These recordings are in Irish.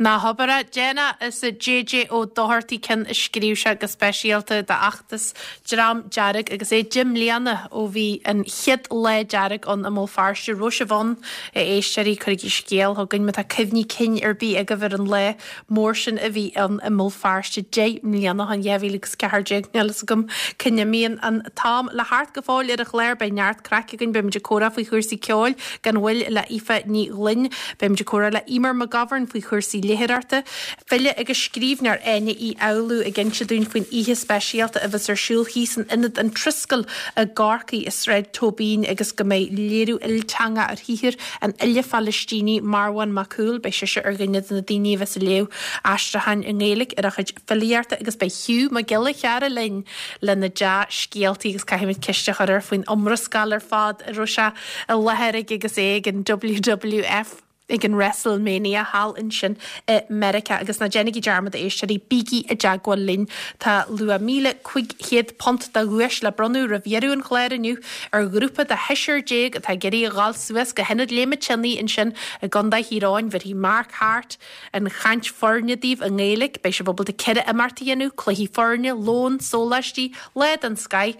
Ná habair é. Déanadh is a JJ Ó Dochartaigh ceann a scríobh sé go speisialta d'fheachtas Dream Dearg agus é 10 mbliana ó bhí an chéad Lá Dearg ann i mBéal Feirste. Raibh sibh ann, a éisteoirí? Cuirigí scéal chugainn má tá cuimhní cinn ar bith agaibh ar an lá mór sin a bhí ann i mBéal Feirste 10 mbliana ó shin, 2014. Níl fhios agam cá n-imíonn an t-am. Le theacht go fóill ar an chlár beidh neart craic againn, beimid ag comhrá faoi chúrsaí ceoil gan mhoill le Aoife Ní Ghlinn, beimid ag comhrá le Eimear McGovern faoi chúrsaí léitheoireachta, file agus scríbhneoir Áine Uí Fhoghlú ag inse dúinn faoin oíche speisialta a bheas ar siúl thíos in Ionad an Triskel i gCorcaigh i Sráid Tóibín agus go mbeidh léiriú ilteangach ar shaothar an fhile Phalaistínigh Marwan Makhoul, beidh sise ar dhuine de na daoine a bheas ag léamh aistriúcháin i nGaeilge ar a chuid filíochta agus beidh Hugh Mac Giolla Chearra linn lena dea-scéaltaí agus caithfimid ceist a chur air faoin iomrascáil ar fad a raibh sé i láthair ag agus é ag an WWF ag an WrestleMania thall ansin i Meiriceá. Agus ná déanaigí dearmad, a éisteoirí, bígí i dteagmháil linn. Tá luach £1,500 de dhuais le bronnadh roimh dheireadh an chláir inniu ar ghrúpa de sheisear atá ag iarraidh a ghabháil suas go hIonad Léime Tine ansin i gContae Thír Eoghain. Bhéarfaidh Mark Harte an chaint foirne daoibh i nGaeilge. Beidh sibh ábalta 4 imeacht a dhéanamh, cluichí foirne, lón, sóláistí, lá den scoith.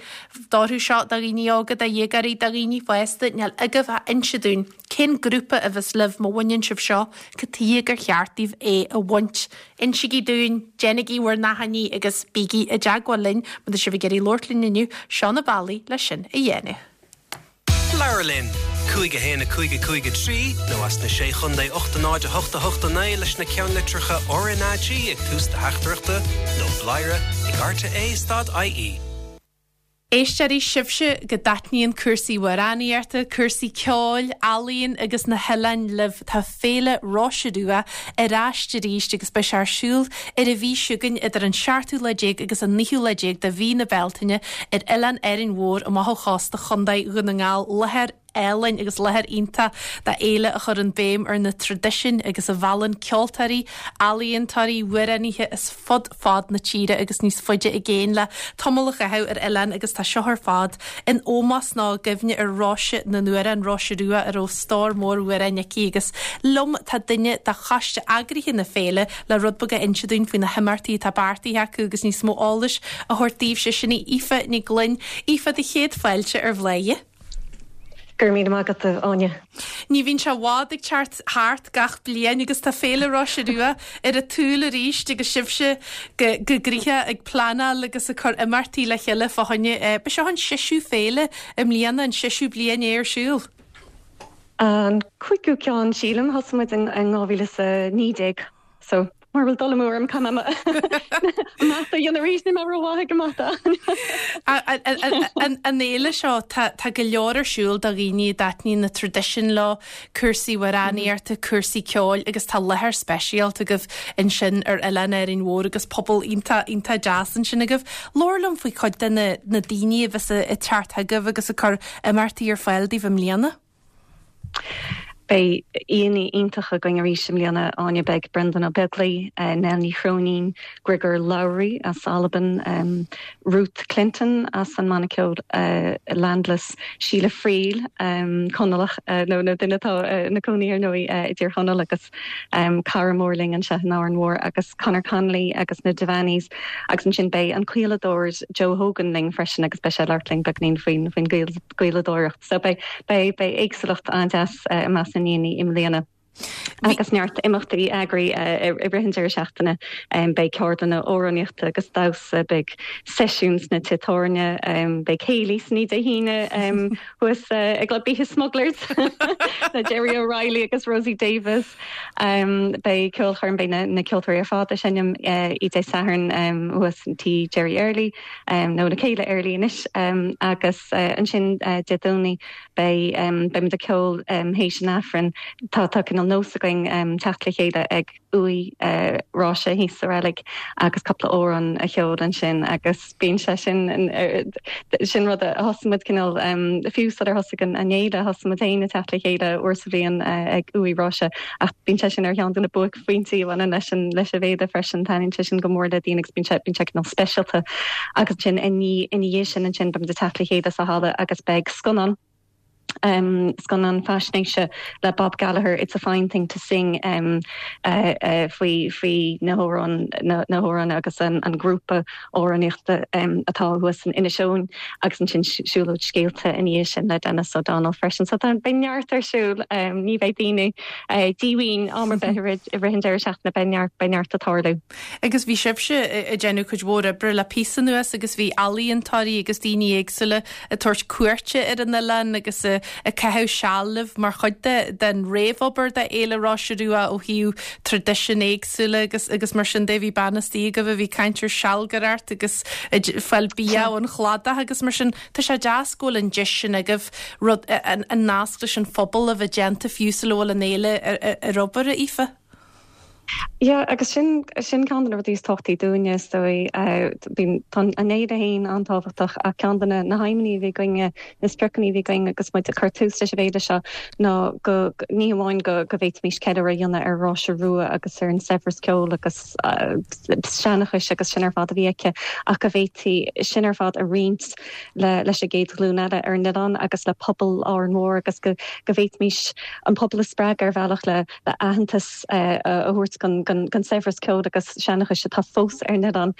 D'orthu seo, do dhaoine óga, do dhéagóirí, do dhaoine fásta, níl agaibh ach inse dúinn cén grúpa a bheas libh má bhaineann sibh seo, cad tuighe gur cheart daoibh é a bhaint. Insígí dúinn, déanaigí bhur n-achainí agus bígí i dteagmháil linn má tá sibh ag iarraidh labhairt linn inniu, seo na bealaí le sin a dhéanamh. Labhair linn! 5 1 5 5 3 nó as na Sé Chontae 8 0 8 8 9 leis na ceannlitreacha RnaG ag tús do theachtaireachta nó bladhaire ag rte stad ie. Éisteoirí, sibhse go dtaitníonn cúrsaí amhránaíochta, cúrsaí ceoil, ealaíon agus na hoileáin libh, tá Féile Róise Rua ar ais arís agus beidh sé ar siúl ar an mhí seo chugainn idir an seachtú lá déag agus an naoú lá déag de mhí na Bealtaine ar Oileán Árainn Mhór amach ó chósta Chontae Dhún na nGall. Láthair álainn agus láthair iontach d'fhéile a chuireann béim ar na traidisiúin agus a mheallann ceoltóirí, ealaíontóirí, amhránaithe as fud fad na tíre agus níos faide i gcéin le tamall a chaitheamh ar oileán agus tá seo ar fad in ómós nó i gcuimhne ar Róise na nAmhrán, Róise Rua, a raibh stór mór amhrán aici agus liom tá duine de choiste eagraithe na féile le rud beag a inse dúinn faoi na himeachtaí atá beartaithe acu agus níos mó eolais a thabhairt daoibhse. Sin í Aoife Ní Ghlinn. Aoife, do chéad fáilte ar Bhladhaire. Go raibh míle maith agat, a Áine. Ní bhíonn sé i bhfad ag teacht thart gach bliain agus tá Féile Róise Rua ar an tsúil arís agus sibhse go gnoitheach ag pleanáil agus ag cur imeachtaí le chéile fá choinne. Ba seo an seisiú féile i mbliana, an seisiú bliain é ar siúl. An cúigiú ceann, sílim. Thosaigh muid in 2019. So, mura bhfuil dul amú orm, caithfidh mé an mata a dhéanamh arís, níl mé rómhaith ag an mata. An fhéile seo, tá go leor ar siúl do dhaoine a dtaitníonn na traidisiúin leo, cúrsaí amhránaíochta, cúrsaí ceoil agus tá láthair speisialta agaibh ansin ar Oileán Árainn Mhór agus pobal iontach, iontach deas ansin agaibh. Labhair liom faoi chuid de na daoine a bheas ag teacht chugaibh agus ag cur imeachtaí ar fáil daoibh i mbliana. Beidh aíonna iontacha againn arís i mbliana, Áine. Beidh Breandán Ó Beaglaoi, Nell Ní Chróinín, Griogair Labhruidh as Albain, Ruth Clinton as an mbanna ceoil Landless, Síle Friel, Conallach, nó duine atá ina cónaí ar ndóigh i dTír Chonaill agus cara mór linn anseo in Árainn Mhór, agus Conor Connolly agus na Devaneys. Agus ansin beidh an caoladóir Joe Hogan linn freisin agus beidh sé ag labhairt linn beagainín faoin gcaoladóireacht. So beidh, beidh, beidh éagsúlacht an-deas i measc na n-aíonna i mbliana. Agus neart imeachtaí eagraithe i rith an deireadh seachtaine. Beidh ceardlanna amhránaíochta agus damhsa, beidh seisiúin sna tithe tábhairne, beidh céilí san oíche Dé hAoine thuas i gClub Oíche Smugglers le Jerry O'Reilly agus Rosie Davis. Beidh ceolchoirm, beidh na ceoltóirí ar fad ag seinm oíche Dé Sathairn thuas in tí Jerry Early. nó na céile Early anois agus ansin Dé Domhnaigh beidh beimid ag ceol théis an Aifrinn. Tá tá cineál nós againn teacht le chéile ag uaigh Róise thíos sa reilig agus cúpla amhrán a cheol ansin agus bíonn sé sin sin rud a thosaigh muid cineál fiú sular thosaigh an fhéile thosaigh muid féin ag teacht le chéile uair sa bhliain ag uaigh Róise ach bíonn sé sin ar cheann de na buaicphointí a bhaineann leis an leis an bhféile freisin. Taitníonn sé sin go mór le daoine agus bíonn sé bíonn sé cineál speisialta. Agus ansin ina dhiaidh sin ansin beimid ag teacht le chéile sa halla agus beidh scannán. Scannán faisnéise le Bob Gallagher, It's a Fine Thing to Sing, faoi faoi na hamhráin na hamhráin agus an grúpa amhránaíochta atá thuas in Inis Eoghain agus ansin siúlóid scéalta ina dhiaidh sin le Denis O'Donnell freisin. So tá beidh neart ar siúl, ní bheidh daoine díomhaoin am ar bith i rith an deireadh seachtaine, beidh neart beidh neart ag tarlú. Agus bhí sibhse ag déanamh cuid mhór oibre le píosa anuas agus bhí ealaíontóirí agus daoine éagsúla ag tabhairt cuairte ar an oileán agus ag caitheamh seal libh mar chuid de den réamhobair do Fhéile Roise Rua ó thaobh traidisiúin éagsúla agus agus mar sin de. Bhí bean istigh agaibh a bhí ag caint ar sealgaireacht agus ag fáil bia ón chladach agus mar sin. Tá sé deas go bhfuil an deis sin agaibh rud an nasc leis an phobal a bheith déanta fiú sula bhfuil an fhéile ar obair, a Aoife. Yeah, agus sin, sin ceann de na rudaí is tábhachtaí dúinne, is dóigh. Bíonn, tá an fhéile féin an-tábhachtach ach ceann de na, na haidhmeanna a bhí againne, na spriocanna a bhí againn agus muid ag cur tús leis an bhféile seo ná go, ní hamháin go, go bhféadfaimis ceiliúradh a dhéanamh ar Róise Rua agus ar an saibhreas ceoil agus seanchais agus sin ar fad a bhí aici ach go bhféadfaí sin ar fad a roinnt le, leis an gcéad ghlúin eile ar an oileán agus le pobal Árainn Mhór agus go, go bhféadfaimis an pobal a spreagadh ar bhealach le, le aitheantas a thabhairt don saibhreas ceoil agus seanchais atá fós ar an oileán.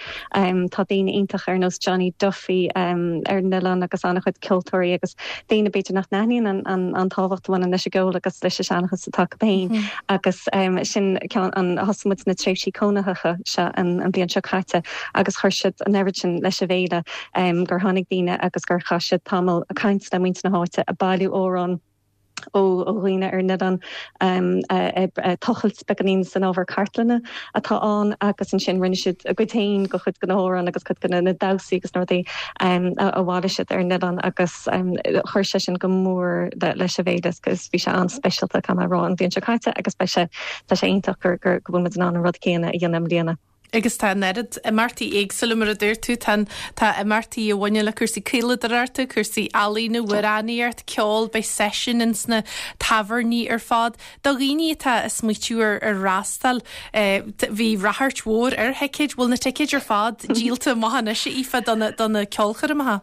Tá daoine iontach ar nós Johnny Duffy ar an oileán agus an-chuid ceoltóirí agus daoine b'fhéidir nach n-aithníonn an tábhacht a bhaineann leis an gceol agus leis an seanchas atá acu féin. Agus sin ceann an thosaigh muid na tréimhsí cónaitheacha seo an bhliain seo caite agus chuir siad an oiread sin leis an bhféile gur tháinig daoine agus gur chaith siad tamall ag caint le muintir na háite, ag bailiú amhrán. ó dhaoine ar an oileán, ag tochailt beagáinín san ábhar cartlainne atá ann agus ansin rinne siad a gcuid féin de chuid de na hamhráin agus cuid de na damhsaí agus na rudaí a bhailigh siad ar an oileán agus chuir sé sin go mór leis an bhféile agus bhí sé an-speisialta, caithfidh mé a rá, an bhliain seo caite agus beidh sé, tá sé iontach go bhfuil muid in ann an rud céanna a dhéanamh i mbliana. Agus tá an oiread imeachtaí éagsúla, mar a dúirt tú, tá tá imeachtaí a bhaineann le cúrsaí caoladóireachta, cúrsaí ealaíne, amhránaíocht, ceol, beidh seisiúin ins na tábhairní ar fad. Do dhaoine atá ag smaoitiú ar ar fhreastal, bhí ráchairt mhór ar thicéid, bhfuil na ticéid ar fad díolta amach anois, a Aoife, do na do na ceolchoirmeacha?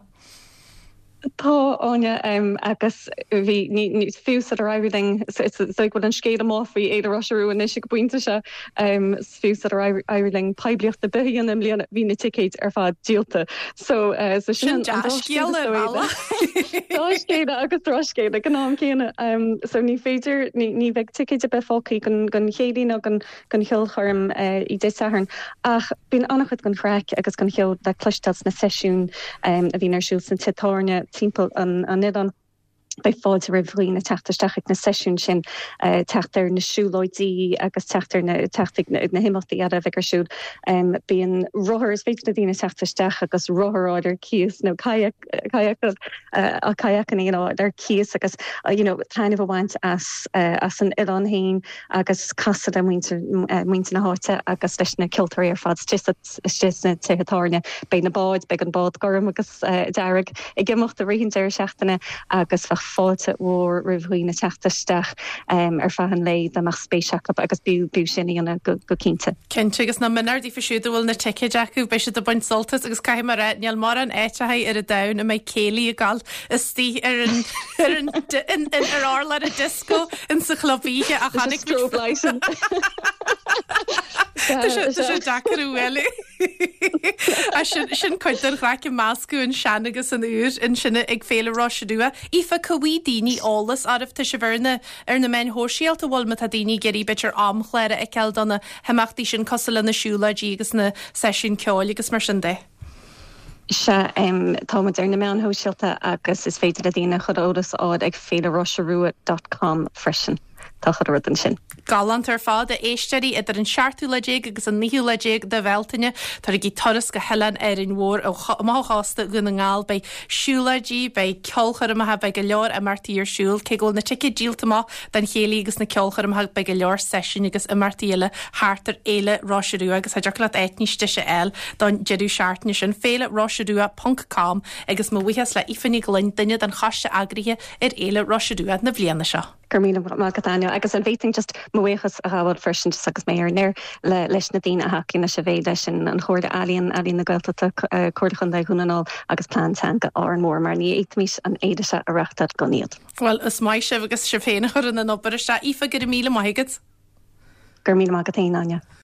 Tá, Áine, agus bhí, ní, ní, fiú sular éirigh linn, is dóigh go bhfuil an scéal amuigh faoi Fhéile Roise Rua anois ag an bpointe seo, fiú sular éirigh linn poiblíocht ar bith a dhéanamh i mbliana, bhí na ticéid ar fad díolta. So, so sin an dá scéal ar bhealach. Dea-scéala agus drochscéala ag an am céanna. So ní féidir, ní, ní bheidh ticéid ar bith fágtha don, don chéilí ná don, don cheolchoirm Dé Sathairn ach bíonn an-chuid den chraic agus den cheol le cloisteáil sna seisiúin a bhíonn ar siúl sna tithe tábhairne timpeall an oileáin. Beidh fáilte roimh dhaoine teacht isteach ag na seisiúin sin, teacht ar na siúlóidí agus teacht ar na teacht ag na himeachtaí eile a bheidh ar siúl. Bíonn rothar, is féidir le daoine teacht isteach agus rothar a fháil ar cíos nó kayak kayakanna a fháil ar cíos agus you know taitneamh a bhaint as as an oileán féin. agus casadh le muintir muintir na háite agus leis na ceoltóirí ar fad istigh sna tithe tábhairne. Beidh na báid, beidh an bád gorm agus dearg ag imeacht i rith an deireadh seachtaine agus bheadh fáilte mhór roimh dhaoine teacht isteach ar feadh an lae dá mbeadh spéis acu agus b'fhiú b'fhiú sin a dhéanamh go cinnte. Cinnte, agus nach mionúr daofa siúd a bhfuil na ticéid acu, beidh siad ag baint sult as agus caithfidh mé a rá, níl mórán áiteacha ar an domhan a mbeidh céilí ag gabháil istigh ar an ar an ar urlár an disco in sa chlub oíche a chonaic strobe lighting. Tá sé deacair a bhualadh. Sin sin cuid den chraic ag meascadh an sean agus an úr ansin ag Féile Roise Rua. Aoife, cá bhfaighidh daoine eolas oraibh tá sibh ar na ar na meáin shóisialta bhfuil má tá daoine ag iarraidh b'fhéidir amchlár a fheiceáil do na himeachtaí sin cosúil le na siúlóidí agus na seisiúin ceoil agus mar sin de. Sea, tá muid ar na meáin shóisialta agus is féidir le daoine chuile eolas a fháil ag féileroiserua dot com freisin. Tá chuile rud ansin. Galánta ar fad, a éisteoirí, idir an seachtú lá déag agus an naoú lá déag de Bhealtaine, tabhairigí turas go hOileán Árainn Mhór amach ó chósta Dhún na nGall. Beidh siúlóidí, beidh ceolchoirmeacha, beidh go leor imeachtaí ar siúl. Cé go bhfuil na ticéid díolta amach don chéilí agus na ceolchoirmeacha, beidh go leor seisiún agus imeachtaí eile thart ar Fhéile Roise Rua agus cha dtiocfadh leat áit níos deise a fháil don deireadh seachtaine sin. Féile Roise Rua ponc com agus mo bhuíochas le Aoife Ní Ghloinn, duine den choiste eagraithe ar Fhéile Roise Rua na bliana seo. Go raibh míle maith agat Áine. Agus an bhféadfainn just mo bhuíochas a ghabháil freisin just agus mé ar an aer le leis na daoine a thacaíonn leis an bhféile sin, an Chomhairle Ealaíon, Ealaíon na Gaeltachta, Comhairle Chontae Dhún na nGall agus Plean Teanga Árainn Mhór mar ní fhéadfaimis an fhéile seo a reáchtáil gan iad. Bhuel, is maith sibh agus sibh féin a chuireann an obair isteach. Aoife, go raibh míle maith agat. Go raibh míle maith agat féin, Áine.